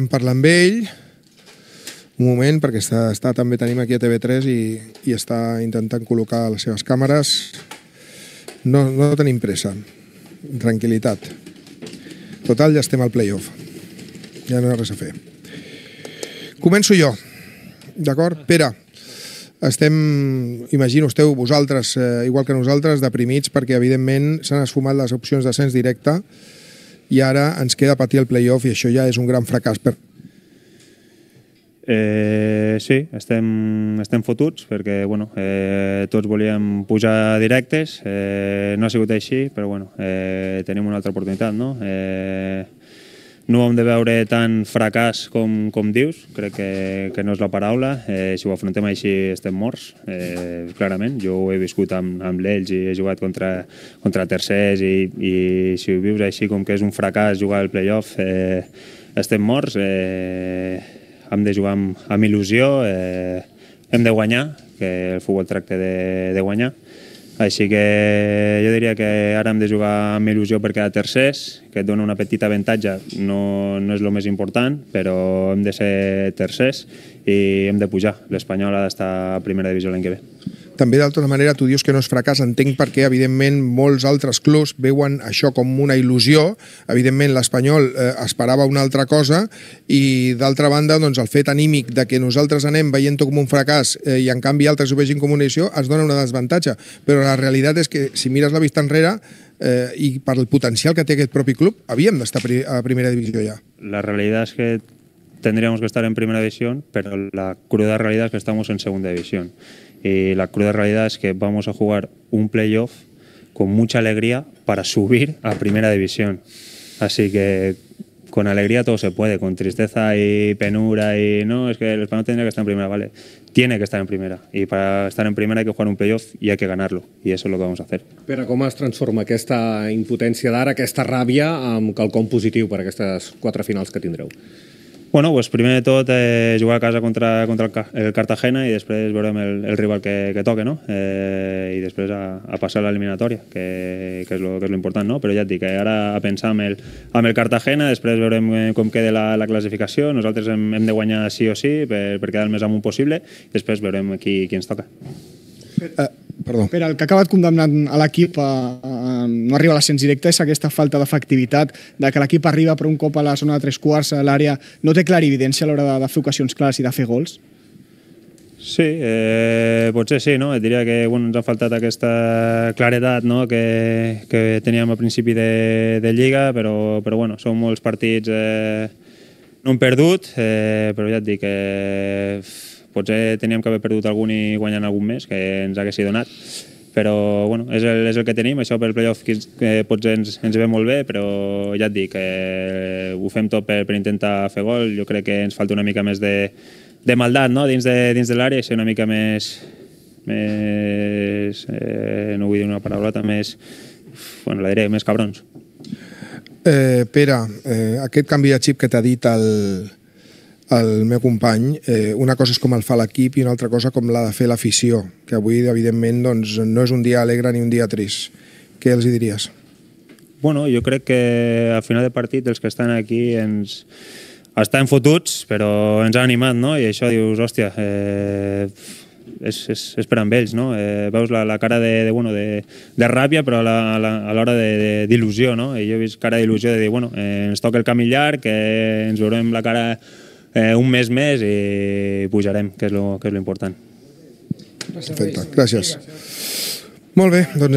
Vam parlar amb ell un moment, perquè també tenim aquí a TV3 i està intentant col·locar les seves càmeres. No tenim pressa, tranquil·litat. Total, ja estem al playoff. Ja no hi ha res a fer. Començo jo, d'acord? Pere, imagino, esteu vosaltres, igual que nosaltres, deprimits perquè, evidentment, s'han esfumat les opcions d'ascens directe i ara ens queda patir el playoff i això ja és un gran fracàs. Sí, estem fotuts perquè tots volíem pujar directes, no ha sigut així, però tenim una altra oportunitat, no? No ho hem de veure tan fracàs com dius, crec que no és la paraula. Si ho afrontem així estem morts, clarament. Jo ho he viscut amb l'Elx i he jugat contra tercers i si ho vius així com que és un fracàs jugar al playoff, estem morts. Hem de jugar amb il·lusió, hem de guanyar, que el futbol tracta de guanyar. Així que jo diria que ara hem de jugar amb il·lusió per quedar tercers, que et dona una petita avantatge, no és el més important, però hem de ser tercers i hem de pujar. L'Espanyol ha d'estar a primera divisió l'any que ve. També, d'altra manera, tu dius que no és fracàs. Entenc perquè, evidentment, molts altres clubs veuen això com una il·lusió. Evidentment, l'Espanyol esperava una altra cosa i, d'altra banda, el fet anímic de que nosaltres anem veient-ho com un fracàs i, en canvi, altres ho vegin com una il·lusió, es dona una desavantatge. Però la realitat és que, si mires la vista enrere, i per el potencial que té aquest propi club, havíem d'estar a primera divisió ja. La realidad es que tendríamos que estar en primera división, pero la cruda realidad es que estamos en segunda división. Y la cruda realidad es que vamos a jugar un playoff con mucha alegría para subir a primera división. Así que con alegría todo se puede, con tristeza y penura y no, es que el Español tendría que estar en primera, vale, tiene que estar en primera y para estar en primera hay que jugar un playoff y hay que ganarlo y eso es lo que vamos a hacer. Pere, com es transforma aquesta impotència d'ara, aquesta ràbia amb quelcom positiu per aquestes 4 finals que tindreu? Bueno, pues primer de tot jugar a casa contra el Cartagena i després veurem el rival que toque, no? I després a passar l'eliminatòria, que és lo important, no? Però ja et dic, ara a pensar amb el Cartagena, després veurem com queda la classificació, nosaltres hem de guanyar sí o sí per quedar el més amunt possible i després veurem qui ens toca. Perdó. Pere, el que ha acabat condemnant a l'equip a no arribar a l'ascens directe és aquesta falta d'efectivitat, de que l'equip arriba per un cop a la zona de 3/4 a l'àrea, no té clarividència a l'hora de fer ocasions clares i de fer gols? Sí, potser sí, no? Et diria que ens ha faltat aquesta claredat que teníem al principi de Lliga, però són molts partits no hem perdut, però ja et dic que potser teníem que haver perdut algun i guanyant algun més, que ens haguessi donat. Però és el que tenim, això per playoff potser ens ve molt bé, però ja et dic, ho fem tot per intentar fer gol. Jo crec que ens falta una mica més de maldat dins de l'àrea, ser una mica més no vull dir una paraulota, més cabrons. Pere, aquest canvi de xip que t'ha dit el meu company, una cosa és com el fa l'equip i una altra cosa com l'ha de fer l'afició, que avui, evidentment, no és un dia alegre ni un dia trist. Què els diries? Bueno, jo crec que al final de partit els que estan aquí estan fotuts, però ens han animat, no? I això dius, hòstia, és per amb ells, no? Veus la cara de ràbia, però a l'hora d'il·lusió, no? I jo he vist cara d'il·lusió de dir, ens toca el camí llarg, que ens veurem la cara un mes més i pujarem, que és lo important. Perfecte, gràcies. Molt bé, doncs